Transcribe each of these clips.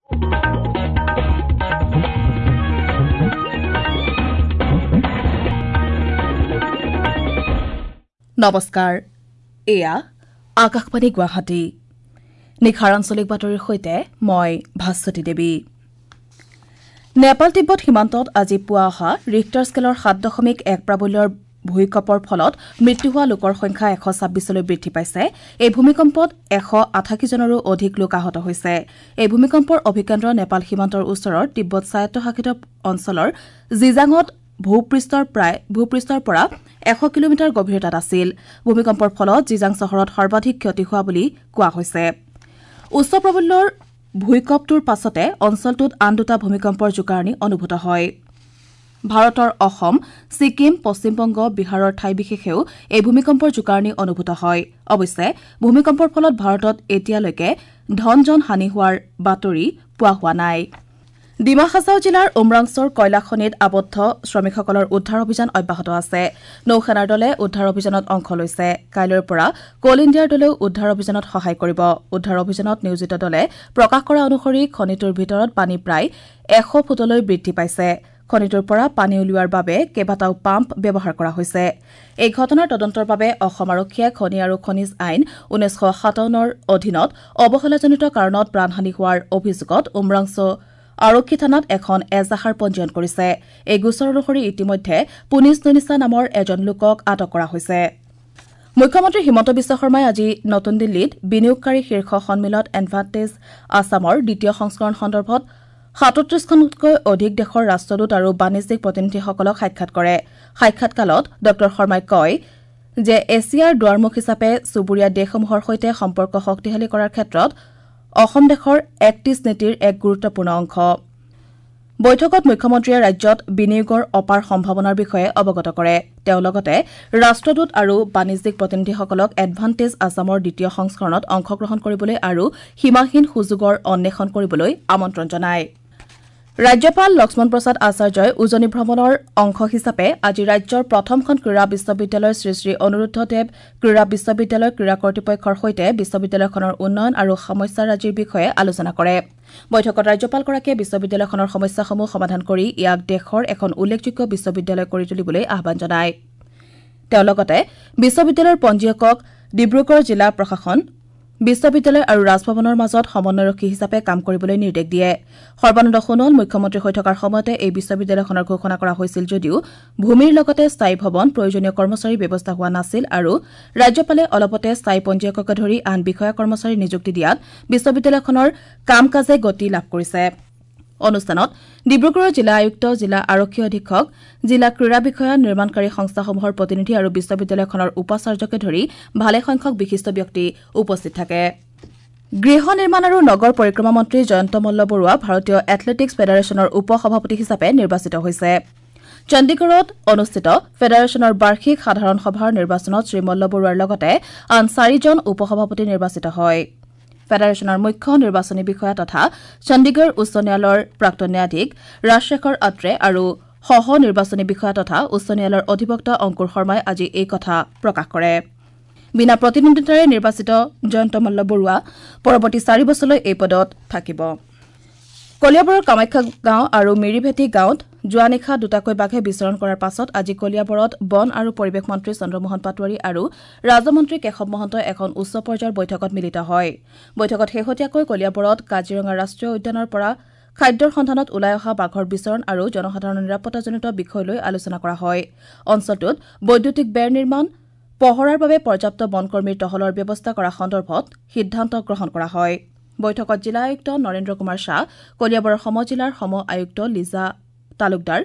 নমস্কাৰ, এয়া আকাশবাণী গুৱাহাটী। নিশাৰ আঞ্চলিক বাতৰিৰ সৈতে মই ভাস্বতী দেৱী। নেপাল তিব্বত সীমান্তত আজি পুৱা অহা ৰিখটাৰ স্কেলৰ 7.1 প্ৰাবল্যৰ ভূঁইকঁপৰ ফলত মৃত্যু হোৱা লোকৰ সংখ্যা 126লৈ বৃদ্ধি পাইছে। এই ভূমিকম্পত 188 জনৰো অধিক লোক আহত হৈছে। এই ভূমিকম্পৰ অভিকেন্দ্ৰ নেপাল সীমান্তৰ ওচৰৰ তিব্বত স্বায়ত্তশাসিত অঞ্চলৰ জিজাঙত ভূপৃষ্ঠৰ পৰা 100 কিলোমিটাৰ গভীৰতাত আছিল। ভূমিকম্পৰ ফলত জিজাং চহৰত সৰ্বাধিক ক্ষতি হোৱা বুলি কোৱা হৈছে। উচ্চ প্ৰাবল্যৰ ভূঁইকঁপটোৰ পাছতে অঞ্চলটোত আন দুটা ভূমিকম্পৰ জোকাৰণি অনুভূত হয়। ভাৰতৰ অসম, ছিকিম, পশ্চিমবংগ, বিহাৰৰ ঠাই বিশেষেও এই ভূমিকম্পৰ জোকাৰণি অনুভূত হয়। অৱশ্যে ভূমিকম্পৰ ফলত ভাৰতত এতিয়ালৈকে ধন জন হানি হোৱাৰ বাতৰি পোৱা হোৱা নাই। ডিমা হাছাও জিলাৰ উমৰাংছ'ৰ কয়লা খনিত আবদ্ধ শ্ৰমিকসকলৰ উদ্ধাৰ অভিযান অব্যাহত আছে। নৌসেনাৰ দলে উদ্ধাৰ অভিযানত অংশ লৈছে। কাইলৈৰ পৰা কল ইণ্ডিয়াৰ দলেও উদ্ধাৰ অভিযানত সহায় কৰিব। উদ্ধাৰ অভিযানত নিয়োজিত দলে প্ৰকাশ কৰা অনুসৰি খনিটোৰ ভিতৰত পানী প্ৰায় 100 ফুটলৈ বৃদ্ধি পাইছে। খনিটোৰ পৰা পানী উলিওৱাৰ বাবে কেইবাটাও পাম্প ব্যৱহাৰ কৰা হৈছে। এই ঘটনাৰ তদন্তৰ বাবে অসম আৰক্ষীয়ে খনি আৰু খনিজ আইন 1957ৰ অধীনত অৱহেলাজনিত কাৰণত প্ৰাণহানি হোৱাৰ অভিযোগত উমৰাংছ' আৰক্ষী থানাত এখন এজাহাৰ পঞ্জীয়ন কৰিছে। এই গোচৰ অনুসৰি ইতিমধ্যে পুনিছ নুনিছা নামৰ এজন লোকক আটক কৰা হৈছে। মুখ্যমন্ত্ৰী হিমন্ত বিশ্ব শৰ্মাই আজি নতুন দিল্লীত বিনিয়োগকাৰী শীৰ্ষ সন্মিলন এডভান্টেজ আছামৰ দ্বিতীয় সংস্কৰণ সন্দৰ্ভত 37খনতকৈ অধিক দেশৰ ৰাষ্ট্ৰদূত আৰু বাণিজ্যিক প্ৰতিনিধিসকলক সাক্ষাৎ কৰে। সাক্ষাৎকালত ডঃ শৰ্মাই কয় যে এছিয়াৰ দুৱাৰমুখ হিচাপে চুবুৰীয়া দেশসমূহৰ সৈতে সম্পৰ্ক শক্তিশালী কৰাৰ ক্ষেত্ৰত অসম দেশৰ এক্ট ইষ্ট নীতিৰ এক গুৰুত্বপূৰ্ণ অংশ। বৈঠকত মুখ্যমন্ত্ৰীয়ে ৰাজ্যত বিনিয়োগৰ অপাৰ সম্ভাৱনাৰ বিষয়ে অৱগত কৰে। তেওঁ লগতে ৰাষ্ট্ৰদূত আৰু বাণিজ্যিক প্ৰতিনিধিসকলক এডভান্টেজ আছামৰ দ্বিতীয় সংস্কৰণত অংশগ্ৰহণ কৰিবলৈ আৰু সীমাহীন সুযোগৰ অন্বেষণ কৰিবলৈ আমন্ত্ৰণ জনায়। ৰাজ্যপাল লক্ষ্মণ প্ৰসাদ আচাৰ্যই উজনি ভ্ৰমণৰ অংশ হিচাপে আজি ৰাজ্যৰ প্ৰথমখন ক্ৰীড়া বিশ্ববিদ্যালয় শ্ৰী শ্ৰী অনিৰুদ্ধ দেৱ ক্ৰীড়া বিশ্ববিদ্যালয় ক্ৰীড়া কৰ্তৃপক্ষৰ সৈতে বিশ্ববিদ্যালয়খনৰ উন্নয়ন আৰু সমস্যাৰাজিৰ বিষয়ে আলোচনা কৰে। বৈঠকত ৰাজ্যপালগৰাকীয়ে বিশ্ববিদ্যালয়খনৰ সমস্যাসমূহ সমাধান কৰি ইয়াক দেশৰ এখন উল্লেখযোগ্য বিশ্ববিদ্যালয় কৰি তুলিবলৈ আহ্বান জনায়। তেওঁ লগতে বিশ্ববিদ্যালয়ৰ পঞ্জীয়কক ডিব্ৰুগড় জিলা প্ৰশাসন, বিশ্ববিদ্যালয় আৰু ৰাজভৱনৰ মাজত সমন্বয়ৰক্ষী হিচাপে কাম কৰিবলৈ নিৰ্দেশ দিয়ে। সৰ্বানন্দ সোণোৱাল মুখ্যমন্ত্ৰী হৈ থকাৰ সময়তে এই বিশ্ববিদ্যালয়খনৰ ঘোষণা কৰা হৈছিল যদিও ভূমিৰ লগতে স্থায়ী ভৱন, প্ৰয়োজনীয় কৰ্মচাৰীৰ ব্যৱস্থা হোৱা নাছিল আৰু ৰাজ্যপালে অলপতে স্থায়ী পঞ্জীয়ককে ধৰি আন বিষয়া কৰ্মচাৰী নিযুক্তি দিয়াত বিশ্ববিদ্যালয়খনৰ কাম কাজে গতি লাভ কৰিছে। অনুষ্ঠানত ডিব্ৰুগড়ৰ জিলা আয়ুক্ত, জিলা আৰক্ষী অধীক্ষক, জিলা ক্ৰীড়া বিষয়া, নিৰ্মাণকাৰী সংস্থাসমূহৰ প্ৰতিনিধি আৰু বিশ্ববিদ্যালয়খনৰ উপাচাৰ্যকে ধৰি ভালেসংখ্যক বিশিষ্ট ব্যক্তি উপস্থিত থাকে। গৃহ নিৰ্মাণ আৰু নগৰ পৰিক্ৰমা মন্ত্ৰী জয়ন্ত মল্ল বৰুৱা ভাৰতীয় এথলেটিকছ ফেডাৰেশ্যনৰ উপ সভাপতি হিচাপে নিৰ্বাচিত হৈছে। চণ্ডীগড়ত অনুষ্ঠিত ফেডাৰেশ্যনৰ বাৰ্ষিক সাধাৰণ সভাৰ নিৰ্বাচনত শ্ৰীমল্ল বৰুৱাৰ লগতে আন 4জন উপ সভাপতি নিৰ্বাচিত হয়। ফেডাৰেশ্যনৰ মুখ্য নিৰ্বাচনী বিষয়া তথা চণ্ডীগড় উচ্চ ন্যায়ালয়ৰ প্ৰাক্তন ন্যায়াধীশ ৰাজশেখৰ আত্ৰে আৰু সহ নিৰ্বাচনী বিষয়া তথা উচ্চ ন্যায়ালয়ৰ অধিবক্তা অংকুৰ শৰ্মাই আজি এই কথা প্ৰকাশ কৰে। বিনা প্ৰতিদ্বন্দ্বিতাৰে নিৰ্বাচিত জয়ন্ত মল্ল বৰুৱা পৰৱৰ্তী 4 বছৰলৈ এই পদত থাকিব। কলিয়াবৰৰ কামাখ্যা গাঁও আৰু মিৰিভেটি গাঁৱত যোৱা নিশা দুটাকৈ বাঘে বিচৰণ কৰাৰ পাছত আজি কলিয়াবৰত বন আৰু পৰিৱেশ মন্ত্ৰী চন্দ্ৰমোহন পাটোৱাৰী আৰু ৰাজমন্ত্ৰী কেশৱ মহন্তই এখন উচ্চ পৰ্যায়ৰ বৈঠকত মিলিত হয়। বৈঠকত শেহতীয়াকৈ কলিয়াবৰত কাজিৰঙা ৰাষ্ট্ৰীয় উদ্যানৰ পৰা খাদ্যৰ সন্ধানত ওলাই অহা বাঘৰ বিচৰণ আৰু জনসাধাৰণৰ নিৰাপত্তাজনিত বিষয় লৈ আলোচনা কৰা হয়। অঞ্চলটোত বৈদ্যুতিক বেৰ নিৰ্মাণ, পহৰাৰ বাবে পৰ্যাপ্ত বনকৰ্মীৰ টহলৰ ব্যৱস্থা কৰা সন্দৰ্ভত সিদ্ধান্ত গ্ৰহণ কৰা হয়। বৈঠকত জিলা আয়ুক্ত নৰেন্দ্ৰ কুমাৰ শ্বাহ, কলিয়াবৰৰ সমজিলাৰ সম আয়ুক্ত লিজা তালুকদাৰ,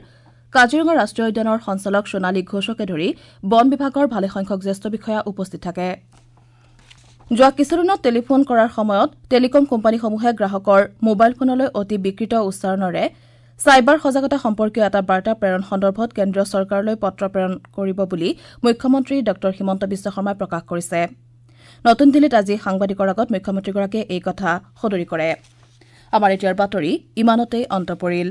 কাজিৰঙা ৰাষ্ট্ৰীয় উদ্যানৰ সঞ্চালক সোণালী ঘোষকে ধৰি বন বিভাগৰ ভালেসংখ্যক জ্যেষ্ঠ বিষয়া উপস্থিত থাকে। যোৱা কিছুদিনত টেলিফোন কৰাৰ সময়ত টেলিকম কোম্পানীসমূহে গ্ৰাহকৰ মোবাইল ফোনলৈ অতি বিকৃত উচ্চাৰণেৰে চাইবাৰ সজাগতা সম্পৰ্কীয় এটা বাৰ্তা প্ৰেৰণ সন্দৰ্ভত কেন্দ্ৰীয় চৰকাৰলৈ পত্ৰ প্ৰেৰণ কৰিব বুলি মুখ্যমন্ত্ৰী ডঃ হিমন্ত বিশ্ব শৰ্মাই প্ৰকাশ কৰিছে। নতুন দিল্লীত আজি সাংবাদিকৰ আগত মুখ্যমন্ত্ৰীগৰাকীয়ে এই কথা সদৰি কৰে। আমাৰ এতিয়াৰ বাতৰি ইমানতেই অন্ত পৰিল।